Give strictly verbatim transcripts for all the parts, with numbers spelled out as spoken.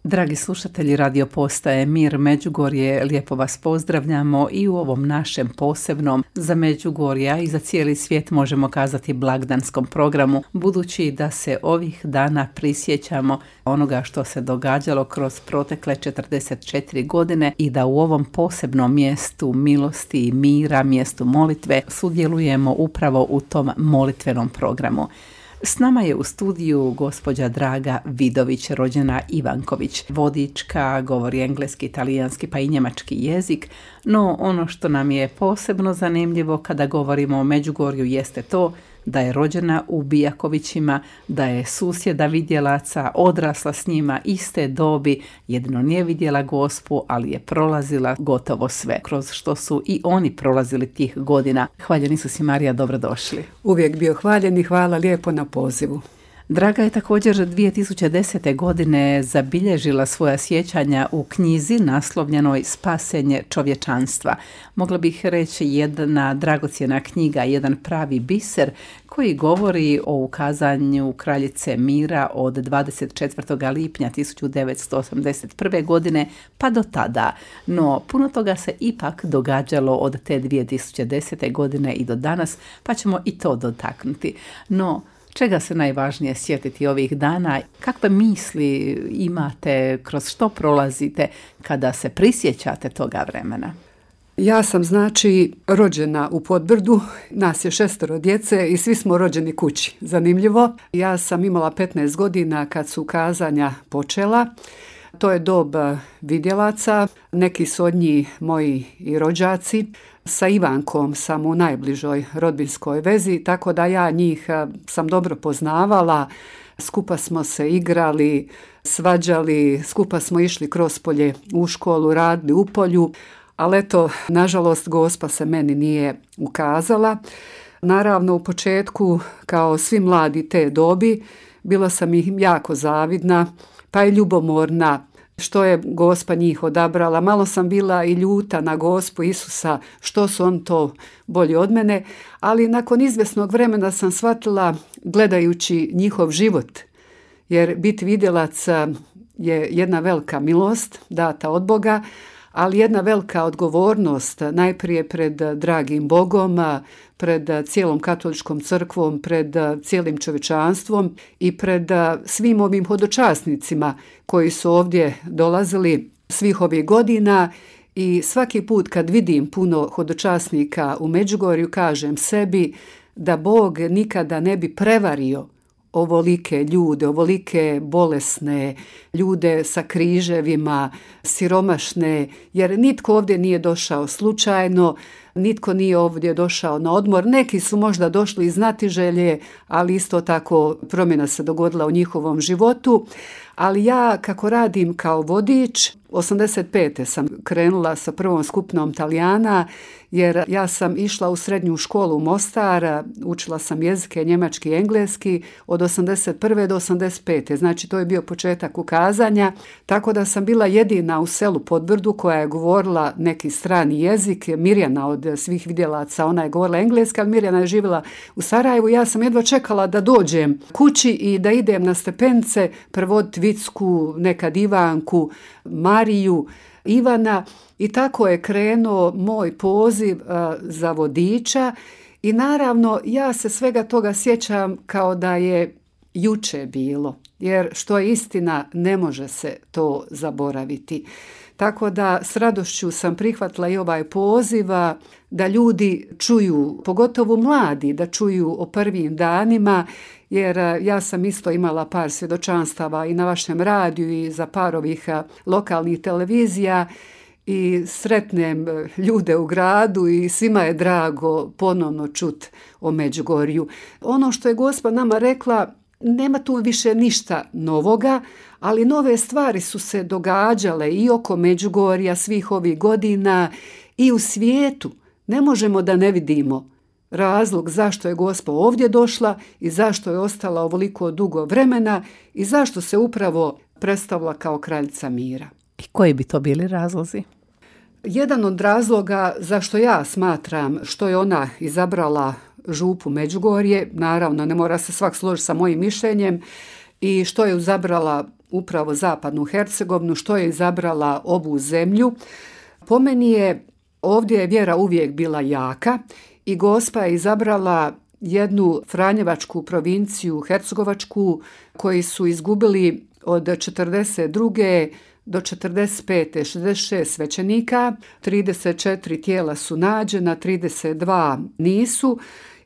Dragi slušatelji radio postaje Mir Međugorje, lijepo vas pozdravljamo i u ovom našem posebnom za Međugorja i za cijeli svijet možemo kazati blagdanskom programu, budući da se ovih dana prisjećamo onoga što se događalo kroz protekle četrdeset četiri godine i da u ovom posebnom mjestu milosti i mira, mjestu molitve, sudjelujemo upravo u tom molitvenom programu. S nama je u studiju gospođa Draga Vidović, rođena Ivanković, vodička, govori engleski, talijanski pa i njemački jezik, no ono što nam je posebno zanimljivo kada govorimo o Međugorju jeste to da je rođena u Bijakovićima, da je susjeda vidjelaca, odrasla s njima iste dobi, jedino nije vidjela Gospu, ali je prolazila gotovo sve, kroz što su i oni prolazili tih godina. Hvaljen Isus i Marija, dobrodošli. Uvijek bio hvaljen i hvala lijepo na pozivu. Draga je također dvije tisuće desete. godine zabilježila svoja sjećanja u knjizi naslovljenoj Spasenje čovječanstva. Mogla bih reći jedna dragocjena knjiga, jedan pravi biser koji govori o ukazanju kraljice mira od dvadeset četvrtog lipnja tisuću devetsto osamdeset prve. godine pa do tada. No puno toga se ipak događalo od te dvije tisuće desete. godine i do danas, pa ćemo i to dotaknuti. No čega se najvažnije sjetiti ovih dana? Kakve misli imate, kroz što prolazite kada se prisjećate toga vremena? Ja sam znači rođena u Podbrdu, nas je šestero djece i svi smo rođeni kući. Zanimljivo, ja sam imala petnaest godina kad su kazanja počela. To je dob vidjelaca, neki su od njih moji i rođaci. Sa Ivankom sam u najbližoj rodbinskoj vezi, tako da ja njih sam dobro poznavala. Skupa smo se igrali, svađali, skupa smo išli kroz polje u školu, radili u polju, ali eto, nažalost, Gospa se meni nije ukazala. Naravno, u početku, kao svi mladi te dobi, bila sam im jako zavidna, pa i ljubomorna što je Gospa njih odabrala. Malo sam bila i ljuta na Gospu Isusa, što su on to bolji od mene, ali nakon izvjesnog vremena sam shvatila, gledajući njihov život, jer biti vidjelac je jedna velika milost data od Boga, ali jedna velika odgovornost najprije pred dragim Bogom, pred cijelom katoličkom crkvom, pred cijelim čovječanstvom i pred svim ovim hodočasnicima koji su ovdje dolazili svih ovih godina. I svaki put kad vidim puno hodočasnika u Međugorju, kažem sebi da Bog nikada ne bi prevario ovolike ljude, ovolike bolesne, ljude sa križevima, siromašne, jer nitko ovdje nije došao slučajno, nitko nije ovdje došao na odmor. Neki su možda došli iz znatiželje, ali isto tako promjena se dogodila u njihovom životu. Ali ja, kako radim kao vodič, osamdeset pete sam krenula sa prvom skupinom Talijana, jer ja sam išla u srednju školu u Mostar, učila sam jezike njemački i engleski od osamdeset prve do osamdeset pete. Znači to je bio početak ukazanja, tako da sam bila jedina u selu Podbrdu koja je govorila neki strani jezik. Mirjana od svih vidjelaca, ona je govorila engleski, ali Mirjana je živjela u Sarajevu. Ja sam jedva čekala da dođem kući i da idem na stepence prevoditi Vicku, nekad Ivanku, Mariju, Ivana, i tako je krenuo moj poziv uh, za vodiča. I naravno ja se svega toga sjećam kao da je juče bilo, jer što je istina ne može se to zaboraviti. Tako da s radošću sam prihvatila i ovaj poziv da ljudi čuju, pogotovo mladi, da čuju o prvim danima, jer ja sam isto imala par svjedočanstava i na vašem radiju i za par ovih lokalnih televizija i sretnem ljude u gradu i svima je drago ponovno čut o Međugorju. Ono što je Gospa nama rekla, nema tu više ništa novoga, ali nove stvari su se događale i oko Međugorja svih ovih godina i u svijetu. Ne možemo da ne vidimo razlog zašto je Gospa ovdje došla i zašto je ostala ovoliko dugo vremena i zašto se upravo predstavila kao kraljica mira. I koji bi to bili razlozi? Jedan od razloga zašto ja smatram što je ona izabrala župu Međugorje, naravno ne mora se svak složiti sa mojim mišljenjem, i što je izabrala upravo zapadnu Hercegovinu, što je izabrala ovu zemlju. Po meni je ovdje je vjera uvijek bila jaka i Gospa je izabrala jednu franjevačku provinciju, hercegovačku, koji su izgubili od četrdeset druge do četrdeset pete šezdeset šest svećenika, trideset četiri tijela su nađena, trideset dva nisu.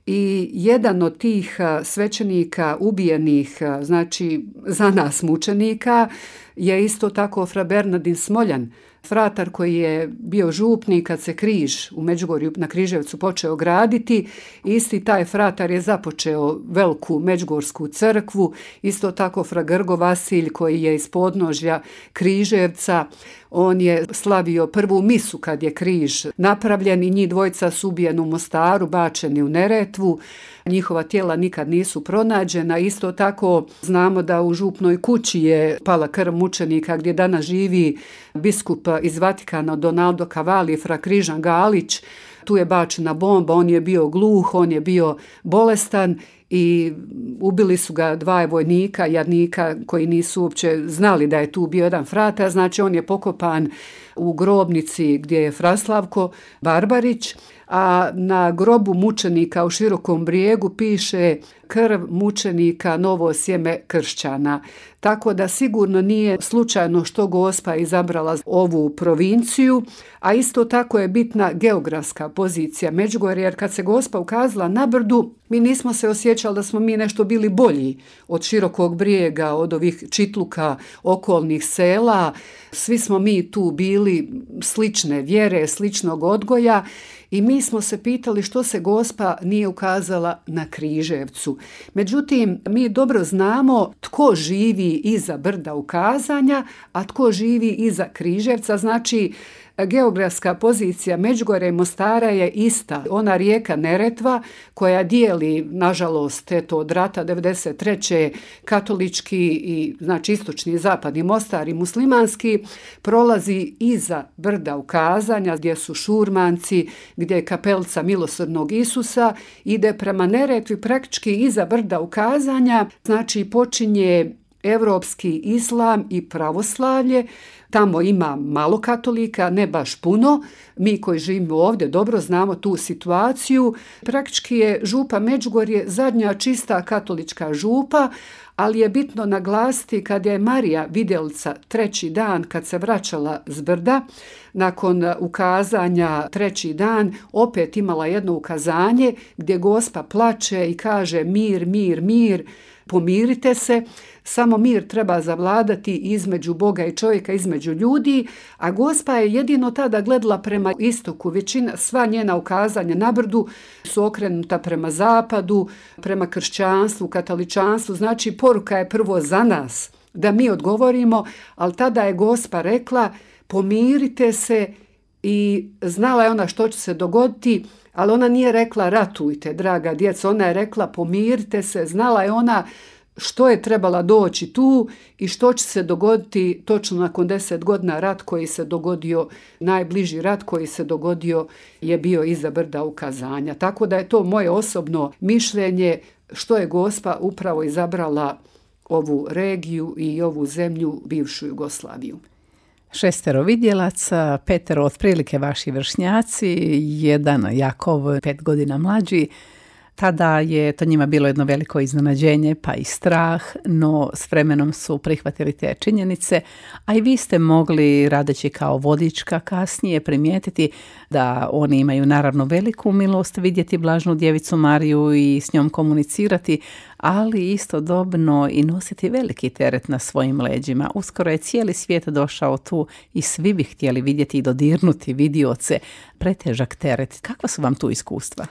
I jedan od tih svećenika ubijenih, znači za nas mučenika, je isto tako fra Bernardin Smoljan, fratar koji je bio župnik kad se križ u Međugorju na Križevcu počeo graditi. Isti taj fratar je započeo veliku Međugorsku crkvu, isto tako fra Grgo Vasilj koji je iz podnožja Križevca. On je slavio prvu misu kad je križ napravljen i njih dvojica su ubijeni u Mostaru, bačeni u Neretvu. Njihova tijela nikad nisu pronađena. Isto tako znamo da u župnoj kući je pala krv mučenika gdje danas živi biskup iz Vatikana Donaldo Cavalli, fra Križan Galić. Tu je bačena bomba, on je bio gluh, on je bio bolestan i ubili su ga dva vojnika, jadnika koji nisu uopće znali da je tu bio jedan fratar. Znači on je pokopan u grobnici gdje je Fraslavko Barbarić, a na grobu mučenika u Širokom Brijegu piše krv mučenika, novo sjeme kršćana. Tako da sigurno nije slučajno što Gospa izabrala ovu provinciju, a isto tako je bitna geografska pozicija Međugorja, jer kad se Gospa ukazala na brdu, mi nismo se osjećali da smo mi nešto bili bolji od Širokog Brijega, od ovih čitluka, okolnih sela. Svi smo mi tu bili slične vjere, sličnog odgoja i mi smo se pitali što se Gospa nije ukazala na Križevcu. Međutim, mi dobro znamo tko živi iza brda ukazanja, a tko živi iza Križevca. Znači, geografska pozicija Međugorja i Mostara je ista. Ona rijeka Neretva koja dijeli, nažalost, eto, od rata devedeset treće katolički i znači istočni i zapadni Mostar i muslimanski, prolazi iza brda ukazanja gdje su šurmanci, gdje je kapelica milosrdnog Isusa, ide prema Neretvi praktički iza brda ukazanja, znači počinje evropski islam i pravoslavlje. Tamo ima malo katolika, ne baš puno. Mi koji živimo ovdje dobro znamo tu situaciju. Praktički je župa Međugorje zadnja čista katolička župa, ali je bitno naglasiti kad je Marija Vidjelica treći dan kad se vraćala s brda, nakon ukazanja treći dan, opet imala jedno ukazanje gdje Gospa plače i kaže mir, mir, mir, pomirite se. Samo mir treba zavladati između Boga i čovjeka, između ljudi, a Gospa je jedino tada gledala prema istoku. Većina, sva njena ukazanja na brdu su okrenuta prema zapadu, prema kršćanstvu, katoličanstvu. Znači, poruka je prvo za nas, da mi odgovorimo, ali tada je Gospa rekla pomirite se i znala je ona što će se dogoditi, ali ona nije rekla ratujte, draga djeca, ona je rekla pomirite se, znala je ona što je trebala doći tu i što će se dogoditi točno nakon deset godina. Rat koji se dogodio, najbliži rat koji se dogodio je bio iza brda ukazanja. Tako da je to moje osobno mišljenje što je Gospa upravo izabrala ovu regiju i ovu zemlju, bivšu Jugoslaviju. Šestero vidjelaca, petero otprilike vaši vršnjaci, jedan Jakov pet godina mlađi. Tada je to njima bilo jedno veliko iznenađenje pa i strah, no s vremenom su prihvatili te činjenice, a i vi ste mogli, radeći kao vodička kasnije, primijetiti da oni imaju naravno veliku milost vidjeti Blažnu djevicu Mariju i s njom komunicirati, ali istodobno i nositi veliki teret na svojim leđima. Uskoro je cijeli svijet došao tu i svi bi htjeli vidjeti i dodirnuti vidioce, pretežak teret. Kakva su vam tu iskustva?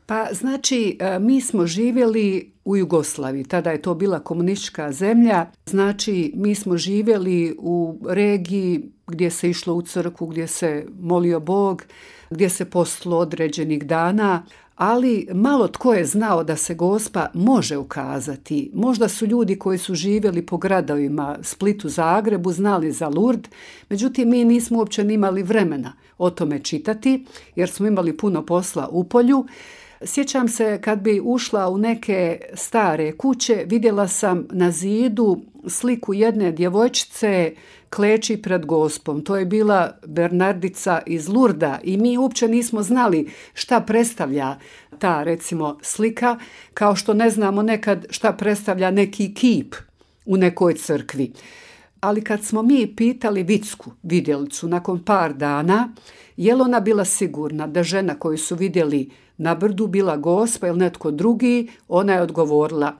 Pa znači, mi smo živjeli u Jugoslaviji, tada je to bila komunistička zemlja, znači mi smo živjeli u regiji gdje se išlo u crkvu, gdje se molio Bog, gdje se postilo određenih dana, ali malo tko je znao da se Gospa može ukazati. Možda su ljudi koji su živjeli po gradovima Splitu, Zagrebu, znali za Lurd, međutim mi nismo uopće imali vremena o tome čitati jer smo imali puno posla u polju. Sjećam se kad bi ušla u neke stare kuće vidjela sam na zidu sliku jedne djevojčice kleči pred Gospom. To je bila Bernardica iz Lurda i mi uopće nismo znali šta predstavlja ta, recimo, slika, kao što ne znamo nekad šta predstavlja neki kip u nekoj crkvi. Ali kad smo mi pitali Vicku, vidjelicu, nakon par dana, je li ona bila sigurna da žena koju su vidjeli na brdu bila Gospa ili netko drugi, ona je odgovorila: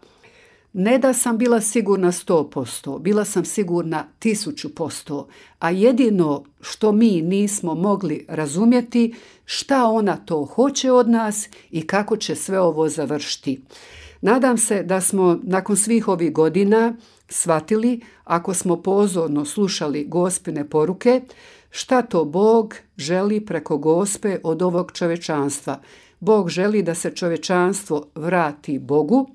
ne da sam bila sigurna sto posto, bila sam sigurna tisuću posto, a jedino što mi nismo mogli razumjeti, šta ona to hoće od nas i kako će sve ovo završiti. Nadam se da smo nakon svih ovih godina shvatili, ako smo pozorno slušali Gospine poruke, šta to Bog želi preko Gospe od ovog čovječanstva. Bog želi da se čovječanstvo vrati Bogu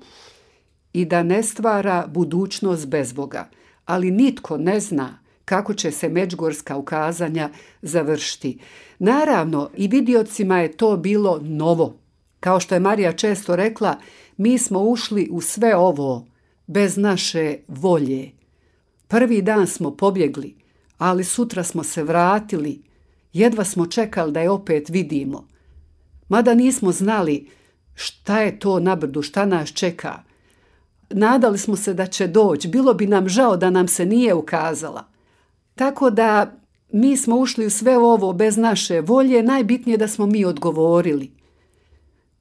i da ne stvara budućnost bez Boga. Ali nitko ne zna kako će se međugorska ukazanja završiti. Naravno, i vidiocima je to bilo novo. Kao što je Marija često rekla, mi smo ušli u sve ovo bez naše volje. Prvi dan smo pobjegli, ali sutra smo se vratili. Jedva smo čekali da je opet vidimo. Mada nismo znali šta je to na brdu, šta nas čeka. Nadali smo se da će doći, bilo bi nam žao da nam se nije ukazala. Tako da mi smo ušli u sve ovo bez naše volje, najbitnije da smo mi odgovorili.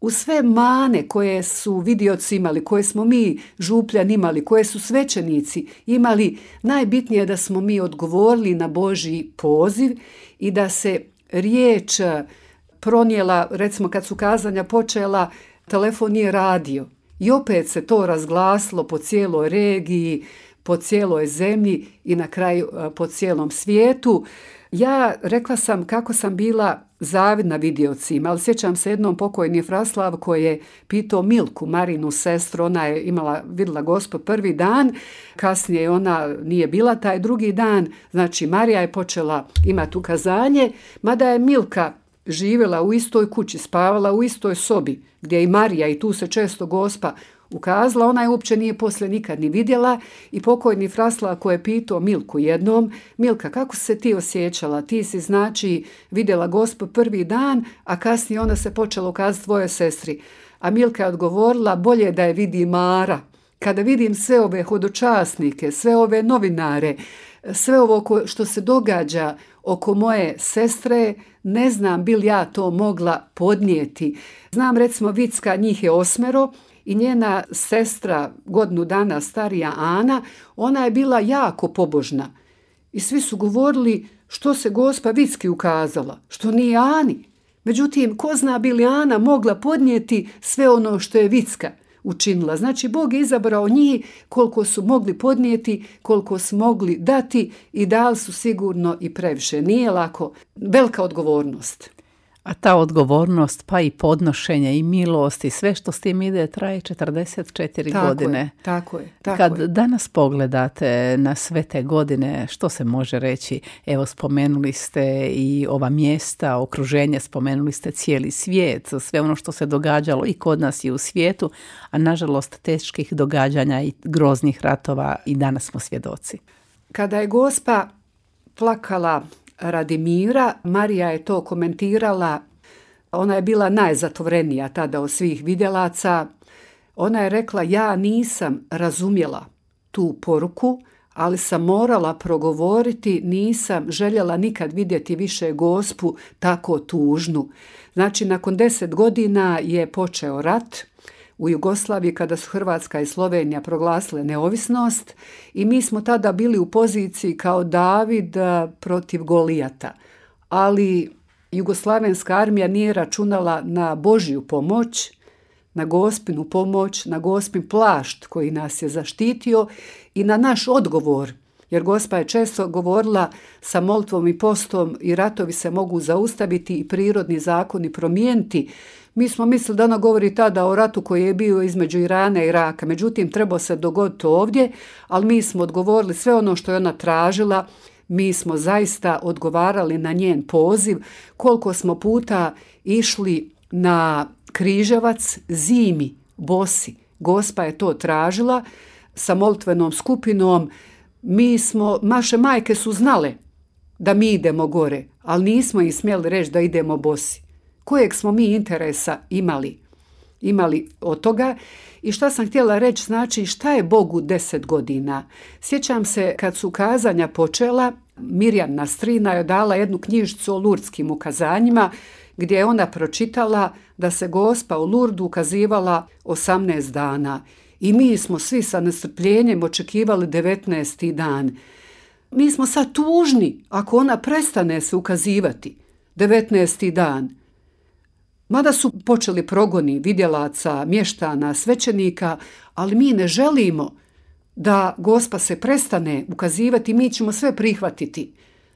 U sve mane koje su vidioci imali, koje smo mi župljani imali, koje su svećenici imali, najbitnije je da smo mi odgovorili na Božji poziv i da se riječ pronijela, recimo kad su kazanja počela, telefon nije radio. I opet se to razglasilo po cijeloj regiji, po cijeloj zemlji i na kraju po cijelom svijetu. Ja rekla sam kako sam bila zavidna vidiocima, ali sjećam se jednom pokojni Fraslav koji je pitao Milku, Marinu sestru, ona je imala, vidjela Gospu prvi dan, kasnije ona nije bila taj drugi dan, znači Marija je počela imati ukazanje, mada je Milka živjela u istoj kući, spavala u istoj sobi, gdje je i Marija i tu se često Gospa ukazala, ona je uopće nije poslije nikad ni vidjela i pokojni Fraslav koji je pitao Milku jednom: Milka, kako se ti osjećala? Ti si znači vidjela Gospu prvi dan, a kasnije ona se počela ukazati tvojoj sestri. A Milka je odgovorila: bolje da je vidi Mara. Kada vidim sve ove hodočasnike, sve ove novinare, sve ovo što se događa oko moje sestre, ne znam bi li ja to mogla podnijeti. Znam, recimo, Vicka, njih je osmero, i njena sestra, godinu dana starija Ana, ona je bila jako pobožna. I svi su govorili što se Gospa Vicki ukazala, što nije Ani. Međutim, ko zna bi li Ana mogla podnijeti sve ono što je Vicka učinila. Znači, Bog je izabrao njih koliko su mogli podnijeti, koliko su mogli dati i dali su sigurno i previše. Nije lako, velika odgovornost. A ta odgovornost, pa i podnošenje i milost i sve što s tim ide traje četrdeset četiri tako godine. Je, tako je. Tako Kad je. danas pogledate na sve te godine, što se može reći? Evo, spomenuli ste i ova mjesta, okruženje, spomenuli ste cijeli svijet, sve ono što se događalo i kod nas i u svijetu, a nažalost teških događanja i groznih ratova i danas smo svjedoci. Kada je Gospa plakala radi mira, Marija je to komentirala, ona je bila najzatvorenija tada od svih vidjelaca. Ona je rekla: ja nisam razumjela tu poruku, ali sam morala progovoriti, nisam željela nikad vidjeti više Gospu tako tužnu. Znači, nakon deset godina je počeo rat u Jugoslaviji kada su Hrvatska i Slovenija proglasile neovisnost i mi smo tada bili u poziciji kao David protiv Golijata. Ali jugoslavenska armija nije računala na Božju pomoć, na Gospinu pomoć, na Gospin plašt koji nas je zaštitio i na naš odgovor. Jer Gospa je često govorila: sa molitvom i postom i ratovi se mogu zaustaviti i prirodni zakoni promijeniti. Mi smo mislili da ona govori tada o ratu koji je bio između Irana i Iraka. Međutim, trebao se dogoditi ovdje, ali mi smo odgovorili sve ono što je ona tražila. Mi smo zaista odgovarali na njen poziv. Koliko smo puta išli na Križevac zimi, bosi, Gospa je to tražila sa molitvenom skupinom. Mi smo, naše majke su znale da mi idemo gore, ali nismo im smjeli reći da idemo bosi. Kojeg smo mi interesa imali? Imali od toga. I šta sam htjela reći, znači šta je Bogu deset godina? Sjećam se kad su kazanja počela, Mirjana strina je dala jednu knjižicu o lurdskim ukazanjima gdje je ona pročitala da se Gospa u Lurdu ukazivala osamnaest dana. I mi smo svi sa nestrpljenjem očekivali devetnaesti dan. Mi smo sad tužni ako ona prestane se ukazivati devetnaesti dan. Mada su počeli progoni vidjelaca, mještana, svećenika, ali mi ne želimo da Gospa se prestane ukazivati, mi ćemo sve prihvatiti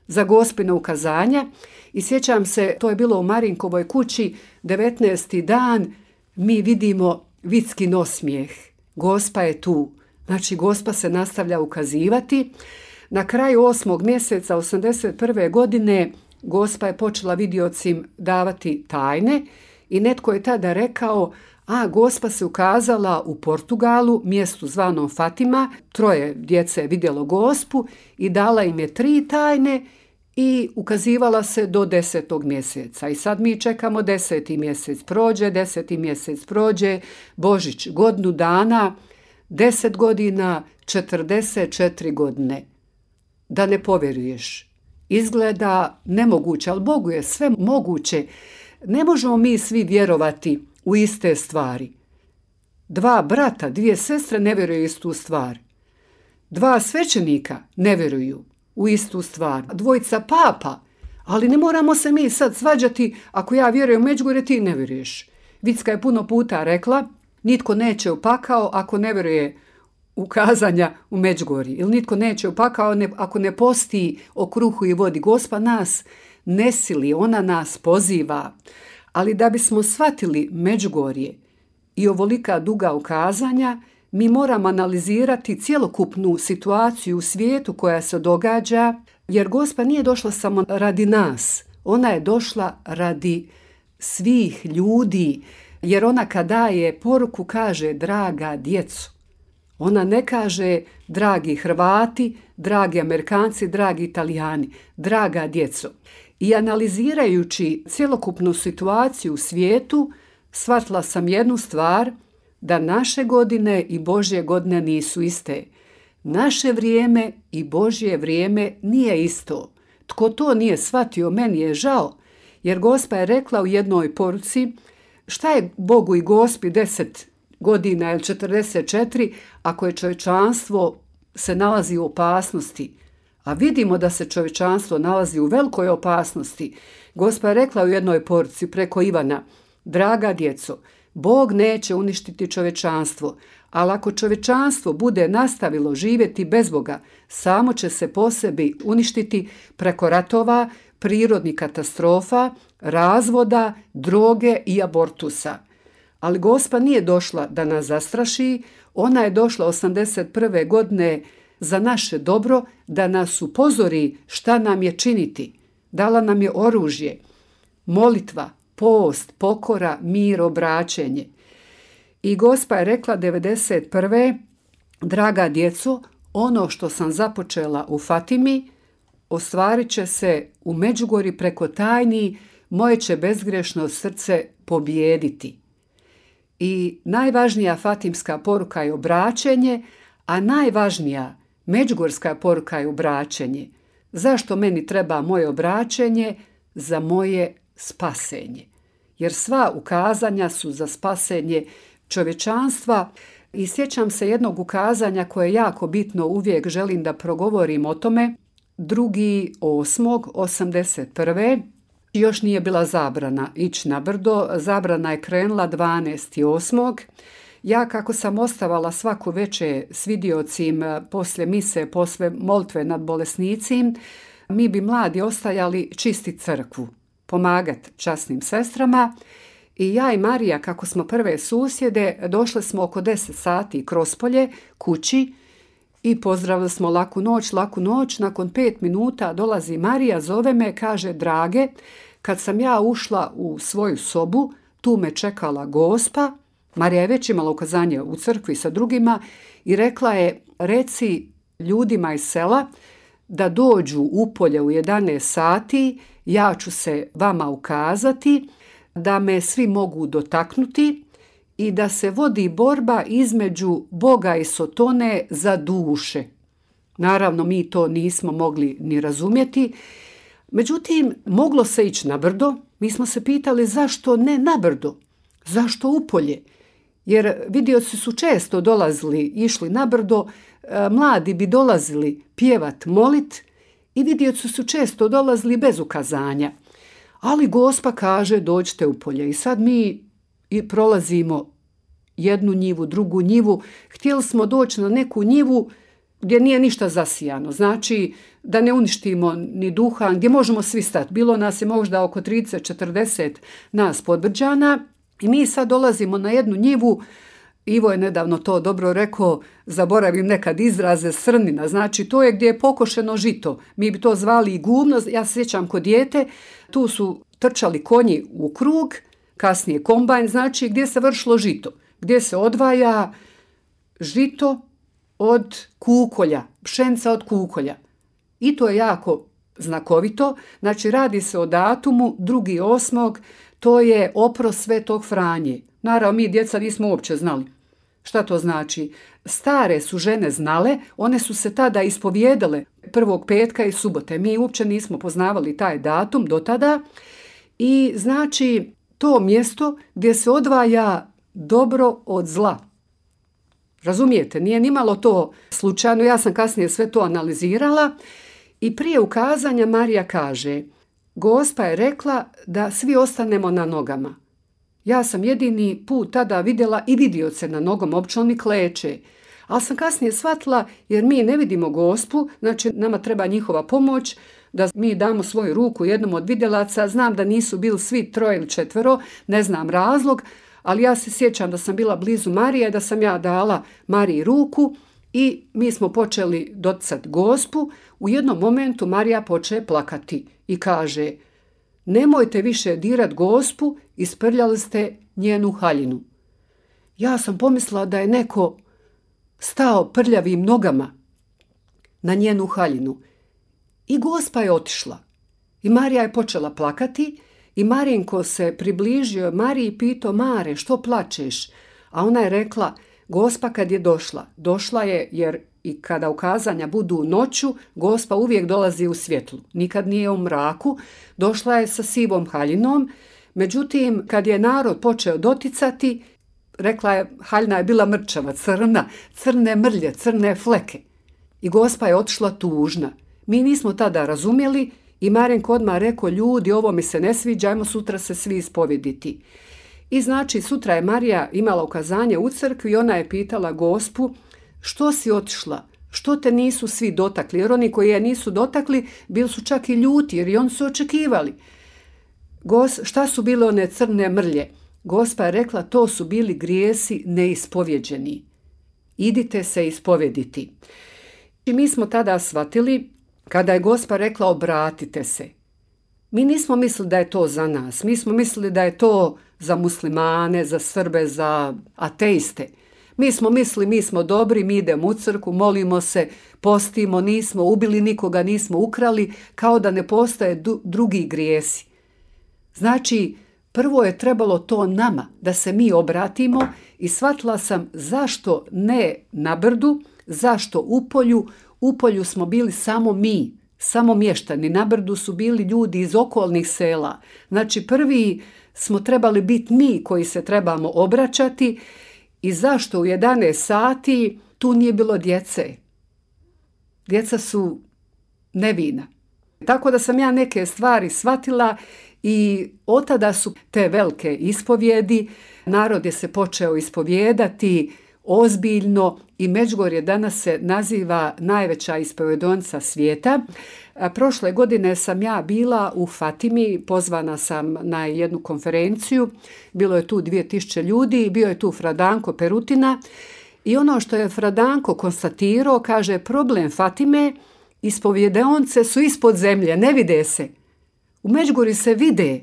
za Gospino ukazanja. I sjećam se, to je bilo u Marinkovoj kući, devetnaesti dan mi vidimo Vickin osmijeh. Gospa je tu. Znači, Gospa se nastavlja ukazivati. Na kraju osmog mjeseca osamdeset prve godine Gospa je počela vidiocim davati tajne i netko je tada rekao, a Gospa se ukazala u Portugalu, mjestu zvanom Fatima, troje djece je vidjelo Gospu i dala im je tri tajne i ukazivala se do desetog mjeseca. I sad mi čekamo deseti mjesec prođe, deseti mjesec prođe, Božić godinu dana, deset godina, četrdeset četiri godine. Da ne povjeruješ. Izgleda nemoguće, ali Bogu je sve moguće. Ne možemo mi svi vjerovati u iste stvari. Dva brata, dvije sestre ne vjeruju istu stvar. Dva svećenika ne vjeruju u istu stvar. Dvojica papa, ali ne moramo se mi sad svađati ako ja vjerujem u Međugorje, ti ne vjeruješ. Vicka je puno puta rekla, nitko neće u pakao ako ne vjeruje u kazanja u Međugorji. Ili nitko neće u pakao ako ne posti o kruhu i vodi. Gospa nas ne sili, ona nas poziva. Ali da bismo shvatili Međugorje i ovolika duga ukazanja, mi moramo analizirati cjelokupnu situaciju u svijetu koja se događa, jer Gospa nije došla samo radi nas. Ona je došla radi svih ljudi, jer ona kad daje poruku kaže draga djeco. Ona ne kaže dragi Hrvati, dragi Amerikanci, dragi Italijani, draga djeco. I analizirajući cjelokupnu situaciju u svijetu, shvatila sam jednu stvar, da naše godine i Božje godine nisu iste. Naše vrijeme i Božje vrijeme nije isto. Tko to nije shvatio, meni je žao, jer Gospa je rekla u jednoj poruci, šta je Bogu i Gospi deset godina ili četrdeset četiri ako je čovječanstvo se nalazi u opasnosti, a vidimo da se čovječanstvo nalazi u velikoj opasnosti. Gospa je rekla u jednoj poruci preko Ivana, draga djeco, Bog neće uništiti čovječanstvo, ali ako čovječanstvo bude nastavilo živjeti bez Boga, samo će se po sebi uništiti preko ratova, prirodnih katastrofa, razvoda, droge i abortusa. Ali Gospa nije došla da nas zastraši, ona je došla osamdeset prve godine za naše dobro, da nas upozori šta nam je činiti. Dala nam je oružje, molitva, post, pokora, mir, obraćenje. I Gospa je rekla devedeset prve draga djeco, ono što sam započela u Fatimi, ostvarit će se u Međugorju preko tajni, moje će bezgrešno srce pobijediti. I najvažnija fatimska poruka je obraćenje, a najvažnija međugorska poruka je obraćenje. Zašto meni treba moje obraćenje? Za moje spasenje. Jer sva ukazanja su za spasenje čovječanstva. I sjećam se jednog ukazanja koje je jako bitno, uvijek želim da progovorim o tome. drugi osmog osamdeset prve još nije bila zabrana ići na brdo, zabrana je krenula dvanaesti osmog Ja kako sam ostavala svako veče s vidiocim poslije mise, poslije molitve nad bolesnicim, mi bi mladi ostajali čisti crkvu, pomagati časnim sestrama. I ja i Marija, kako smo prve susjede, došle smo oko deset sati kroz polje kući i pozdravili smo laku noć, laku noć. Nakon pet minuta dolazi Marija, zove me, kaže drage, kad sam ja ušla u svoju sobu, tu me čekala Gospa Marija je već imala ukazanje u crkvi sa drugima i rekla je, reci ljudima iz sela da dođu u polje u jedanaest sati, ja ću se vama ukazati, da me svi mogu dotaknuti i da se vodi borba između Boga i Sotone za duše. Naravno, mi to nismo mogli ni razumjeti. Međutim, moglo se ići na brdo. Mi smo se pitali zašto ne na brdo, zašto u polje. Jer vidioci su često dolazili, išli na brdo, mladi bi dolazili pjevat, molit i vidioci su često dolazili bez ukazanja. Ali Gospa kaže dođite u polje i sad mi i prolazimo jednu njivu, drugu njivu. Htjeli smo doći na neku njivu gdje nije ništa zasijano, znači da ne uništimo ni duhan, gdje možemo svi stati. Bilo nas je možda oko trideset četrdeset nas Podbrđana i mi sad dolazimo na jednu njivu. Ivo je nedavno to dobro rekao, zaboravim nekad izraze, srnina, znači to je gdje je pokošeno žito. Mi bi to zvali i gumno, ja se sjećam kod dijete, tu su trčali konji u krug, kasnije kombajn, znači gdje se vršilo žito, gdje se odvaja žito od kukolja, pšenca od kukolja. I to je jako znakovito, znači radi se o datumu drugi osmog, to je oprost Svetog Franje. Naravno, mi djeca nismo uopće znali šta to znači. Stare su žene znale, one su se tada ispovijedale prvog petka i subote. Mi uopće nismo poznavali taj datum do tada. I znači to mjesto gdje se odvaja dobro od zla. Razumijete, nije nimalo to slučajno, ja sam kasnije sve to analizirala i prije ukazanja Marija kaže, Gospa je rekla da svi ostanemo na nogama. Ja sam jedini put tada vidjela i vidioce na nogom, obično oni kleče. Ali sam kasnije shvatila, jer mi ne vidimo Gospu, znači nama treba njihova pomoć, da mi damo svoju ruku jednom od vidjelaca. Znam da nisu bili svi troje ili četvero, ne znam razlog, ali ja se sjećam da sam bila blizu Marije, da sam ja dala Mariji ruku i mi smo počeli doticati Gospu. U jednom momentu Marija počeje plakati i kaže, nemojte više dirat Gospu, isprljali ste njenu haljinu. Ja sam pomislila da je neko stao prljavim nogama na njenu haljinu. I Gospa je otišla. I Marija je počela plakati i Marinko se približio Mariji i pitao, Mare, što plačeš? A ona je rekla, Gospa kad je došla, došla je jer i kada ukazanja budu noću, Gospa uvijek dolazi u svjetlu. Nikad nije u mraku. Došla je sa sivom haljinom. Međutim, kad je narod počeo doticati, rekla je, haljina je bila mrčava, crna, crne mrlje, crne fleke. I Gospa je otišla tužna. Mi nismo tada razumjeli i Marinko odmah rekao, ljudi, ovo mi se ne sviđa, ajmo sutra se svi ispovediti. I znači, sutra je Marija imala ukazanje u crkvi i ona je pitala Gospu, što si otišla? Što te nisu svi dotakli? Jer oni koji je nisu dotakli, bili su čak i ljuti, jer i oni su očekivali. Gos, šta su bile one crne mrlje? Gospa je rekla, to su bili grijesi neispovjeđeni. Idite se ispovediti. I mi smo tada shvatili, kada je Gospa rekla, obratite se. Mi nismo mislili da je to za nas. Mi smo mislili da je to za muslimane, za Srbe, za ateiste. Mi smo mislili, mi smo dobri, mi idemo u crkvu, molimo se, postimo, nismo ubili nikoga, nismo ukrali, kao da ne postoje du- drugi grijesi. Znači, prvo je trebalo to nama, da se mi obratimo i shvatila sam zašto ne na brdu, zašto u polju. U polju smo bili samo mi, samo mještani. Na brdu su bili ljudi iz okolnih sela. Znači, prvi smo trebali biti mi koji se trebamo obraćati. I zašto u jedanaest sati tu nije bilo djece? Djeca su nevina. Tako da sam ja neke stvari shvatila i od tada su te velike ispovjedi. Narod je se počeo ispovjedati ozbiljno i Međugorje danas se naziva najveća ispovjedonica svijeta. Prošle godine sam ja bila u Fatimi, pozvana sam na jednu konferenciju, bilo je tu dvije tisuće ljudi, bio je tu Fradanko Perutina i ono što je Fradanko konstatirao, kaže, problem Fatime, ispovjedaonice su ispod zemlje, ne vide se. U Međugorju se vide,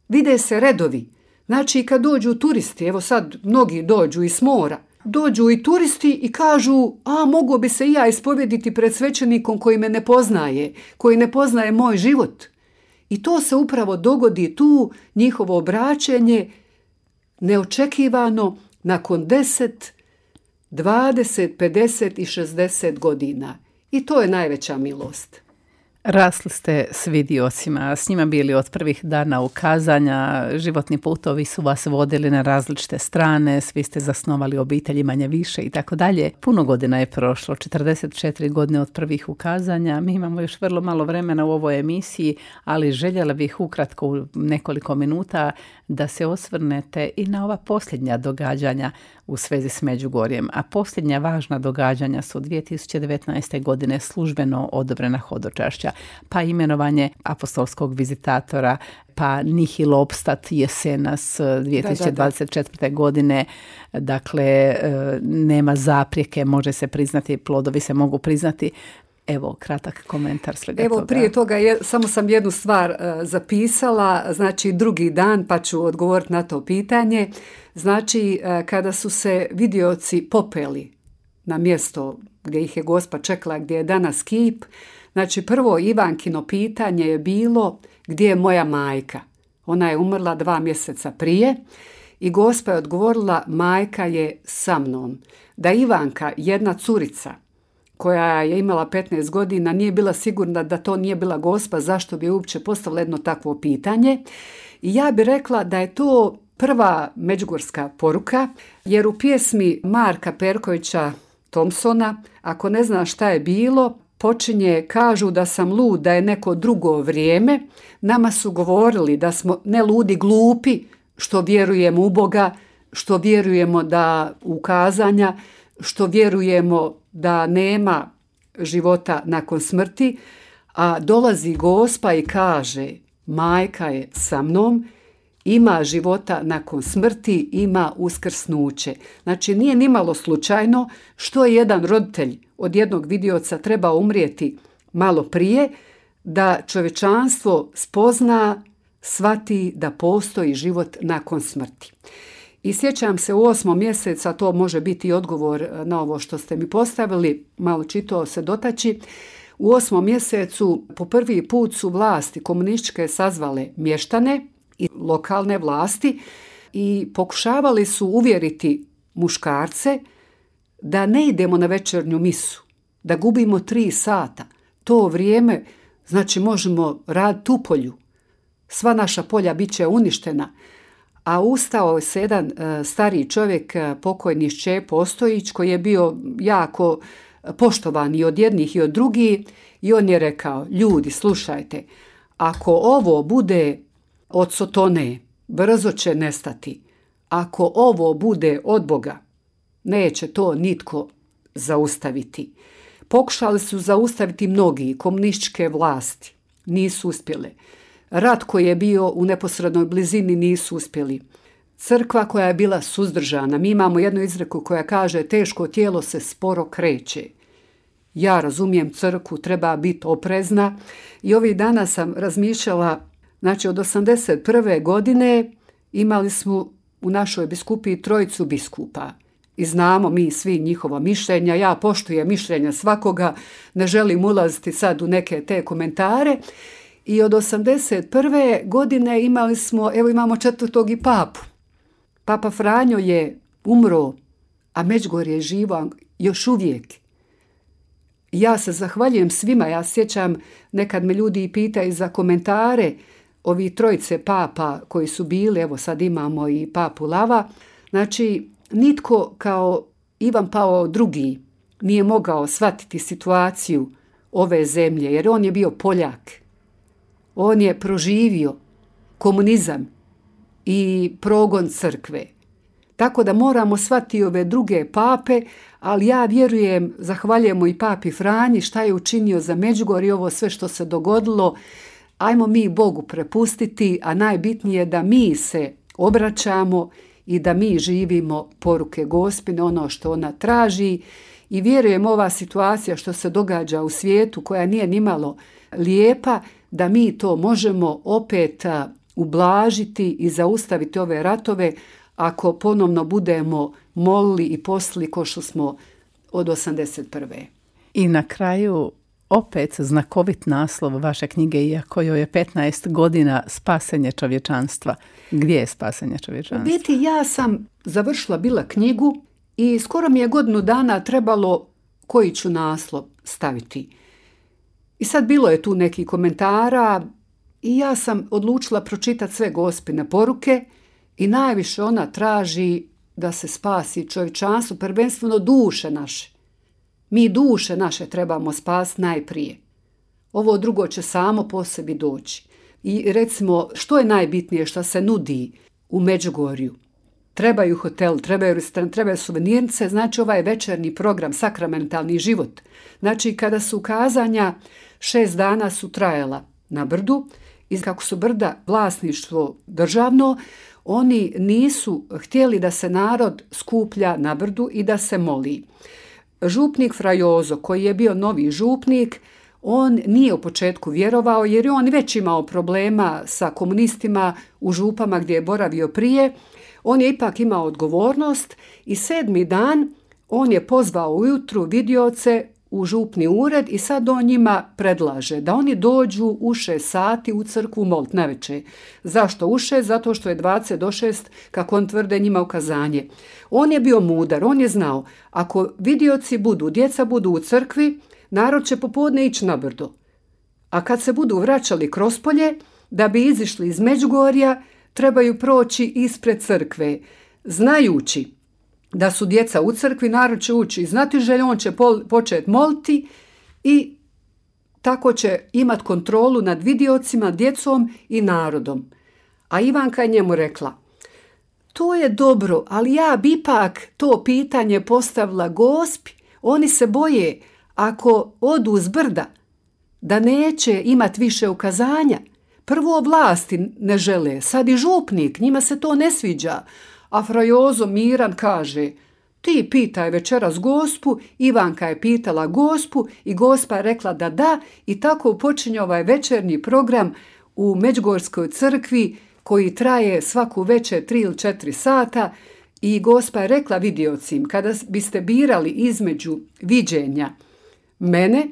vide se redovi. Znači kad dođu turisti, evo sad mnogi dođu iz mora, dođu i turisti i kažu, a mogu bi se i ja ispovjediti pred svećenikom koji me ne poznaje, koji ne poznaje moj život. I to se upravo dogodi tu, njihovo obraćenje, neočekivano nakon deset, dvadeset, pedeset i šezdeset godina. I to je najveća milost. Rasli ste s vidiocima, s njima bili od prvih dana ukazanja, životni putovi su vas vodili na različite strane, svi ste zasnovali obitelji manje više i tako dalje. Puno godina je prošlo, četrdeset četiri godine od prvih ukazanja. Mi imamo još vrlo malo vremena u ovoj emisiji, ali željela bih ukratko u nekoliko minuta da se osvrnete i na ova posljednja događanja u svezi s Međugorjem. A posljednja važna događanja su dvije tisuće devetnaeste. godine službeno odobrena hodočašća, pa imenovanje apostolskog vizitatora, pa nihil obstat jesenas dvije tisuće dvadeset četvrte. Da, da, da. godine. Dakle, nema zaprijeke, može se priznati, plodovi se mogu priznati. Evo, kratak komentar svega Evo, toga. prije toga je, samo sam jednu stvar uh, zapisala, znači drugi dan, pa ću odgovoriti na to pitanje. Znači, uh, kada su se vidioci popeli na mjesto gdje ih je Gospa čekala, gdje je danas kip, znači prvo Ivankino pitanje je bilo gdje je moja majka. Ona je umrla dva mjeseca prije i Gospa je odgovorila majka je sa mnom. Da Ivanka, jedna curica, koja je imala petnaest godina, nije bila sigurna da to nije bila Gospa, zašto bi uopće postavila jedno takvo pitanje. I ja bih rekla da je to prva međugorska poruka, jer u pjesmi Marka Perkovića Thompsona, ako ne znaš šta je bilo, počinje, kažu da sam lud, da je neko drugo vrijeme. Nama su govorili da smo ne ludi, glupi, što vjerujemo u Boga, što vjerujemo da ukazanja, što vjerujemo da nema života nakon smrti, a dolazi Gospa i kaže majka je sa mnom, ima života nakon smrti, ima uskrsnuće. Znači nije nimalo slučajno što je jedan roditelj od jednog vidioca treba umrijeti malo prije, da čovječanstvo spozna, shvati da postoji život nakon smrti. I sjećam se u osmom mjeseca, to može biti odgovor na ovo što ste mi postavili, malo čito se dotaći. U osmom mjesecu po prvi put su vlasti komunističke sazvale mještane i lokalne vlasti i pokušavali su uvjeriti muškarce da ne idemo na večernju misu, da gubimo tri sata. To vrijeme, znači možemo raditi u polju. Sva naša polja bit će uništena. A ustao se jedan uh, stariji čovjek, uh, pokojni Šćepo Ostojić, koji je bio jako poštovan i od jednih i od drugih, i on je rekao, ljudi, slušajte, ako ovo bude od Sotone, brzo će nestati. Ako ovo bude od Boga, neće to nitko zaustaviti. Pokušali su zaustaviti mnogi komunističke vlasti, nisu uspjele. Rat koji je bio u neposrednoj blizini nisu uspjeli. Crkva koja je bila suzdržana. Mi imamo jednu izreku koja kaže teško tijelo se sporo kreće. Ja razumijem crkvu, treba biti oprezna. I ovih dana sam razmišljala, znači od osamdeset prve. godine imali smo u našoj biskupiji trojicu biskupa. I znamo mi svi njihova mišljenja. Ja poštujem mišljenja svakoga, ne želim ulaziti sad u neke te komentare. I od osamdeset prve. godine imali smo, evo imamo četvrtog i papu. Papa Franjo je umro, a Međugorje je živo još uvijek. Ja se zahvaljujem svima, ja sjećam, nekad me ljudi pitaju za komentare ovi trojice papa koji su bili, evo sad imamo i papu Lava. Znači, nitko kao Ivan Pavao drugi nije mogao shvatiti situaciju ove zemlje, jer on je bio Poljak. On je proživio komunizam i progon crkve. Tako da moramo shvatiti ove druge pape, ali ja vjerujem, zahvaljujemo i papi Franji šta je učinio za Međugorje, ovo sve što se dogodilo. Ajmo mi Bogu prepustiti, a najbitnije je da mi se obraćamo i da mi živimo poruke Gospine, ono što ona traži. I vjerujem ova situacija što se događa u svijetu koja nije nimalo lijepa, da mi to možemo opet ublažiti i zaustaviti ove ratove ako ponovno budemo molili i postili ko što smo od osamdeset prve. I na kraju opet znakovit naslov vaše knjige, iako joj je petnaest godina, Spasenje čovječanstva. Gdje je spasenje čovječanstva? U biti ja sam završila bila knjigu i skoro mi je godinu dana trebalo koji ću naslov staviti. I sad bilo je tu neki komentara i ja sam odlučila pročitati sve Gospine poruke i najviše ona traži da se spasi čovječanstvo, prvenstveno duše naše. Mi duše naše trebamo spasiti najprije. Ovo drugo će samo po sebi doći. I recimo, što je najbitnije što se nudi u Međugorju? Trebaju hotel, trebaju restoran, trebaju suvenirnice, znači ovaj večernji program, sakramentalni život. Znači, kada su kazanja, šest dana su trajala na brdu i kako su brda vlasništvo državno, oni nisu htjeli da se narod skuplja na brdu i da se moli. Župnik Fra Jozo, koji je bio novi župnik, on nije u početku vjerovao jer je on već imao problema sa komunistima u župama gdje je boravio prije. On je ipak imao odgovornost i sedmi dan on je pozvao ujutru vidioce u župni ured i sad on njima predlaže da oni dođu u šest sati u crkvu molit navečer. Zašto u šest? Zato što je dvadeset do šest, kako on tvrde, njima ukazanje. On je bio mudar, on je znao, ako vidioci budu, djeca budu u crkvi, narod će popodne ići na brdo. A kad se budu vraćali kroz polje, da bi izišli iz Međugorja, trebaju proći ispred crkve, znajući da su djeca u crkvi, narod će ući znati želje, on će pol, početi moliti i tako će imati kontrolu nad vidiocima, djecom i narodom. A Ivanka je njemu rekla, to je dobro, ali ja bi ipak to pitanje postavila Gospi. Oni se boje ako odu s brda da neće imati više ukazanja. Prvo vlasti ne žele, sad i župnik, njima se to ne sviđa. A Fra Jozo miran kaže, ti pitaj večeras Gospu, Ivanka je pitala Gospu i Gospa je rekla da da i tako počinje ovaj večernji program u Međugorskoj crkvi koji traje svaku večer tri ili četiri sata i Gospa je rekla vidiocim, kada biste birali između viđenja mene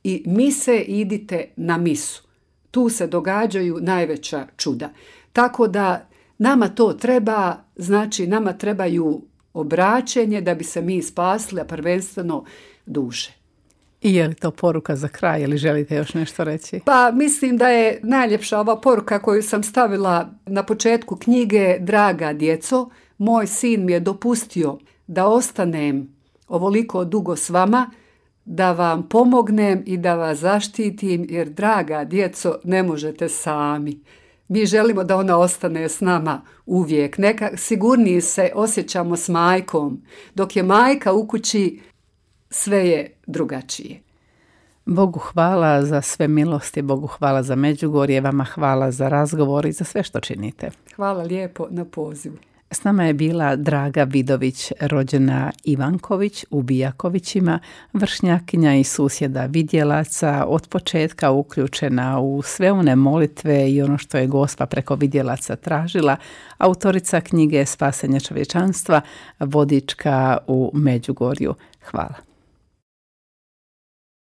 i mise, idite na misu. Tu se događaju najveća čuda. Tako da nama to treba, znači nama trebaju obraćenje da bi se mi spasili, a prvenstveno duše. I je li to poruka za kraj ili želite još nešto reći? Pa mislim da je najljepša ova poruka koju sam stavila na početku knjige. Draga djeco, moj sin mi je dopustio da ostanem ovoliko dugo s vama, da vam pomognem i da vas zaštitim, jer draga djeco, ne možete sami. Mi želimo da ona ostane s nama uvijek. Neka sigurniji se osjećamo s majkom. Dok je majka u kući, sve je drugačije. Bogu hvala za sve milosti, Bogu hvala za Međugorje, vama hvala za razgovor i za sve što činite. Hvala lijepo na pozivu. S nama je bila Draga Vidović, rođena Ivanković u Bijakovićima, vršnjakinja i susjeda vidjelaca, od početka uključena u sve one molitve i ono što je Gospa preko vidjelaca tražila, autorica knjige Spasenje čovječanstva, vodička u Međugorju. Hvala.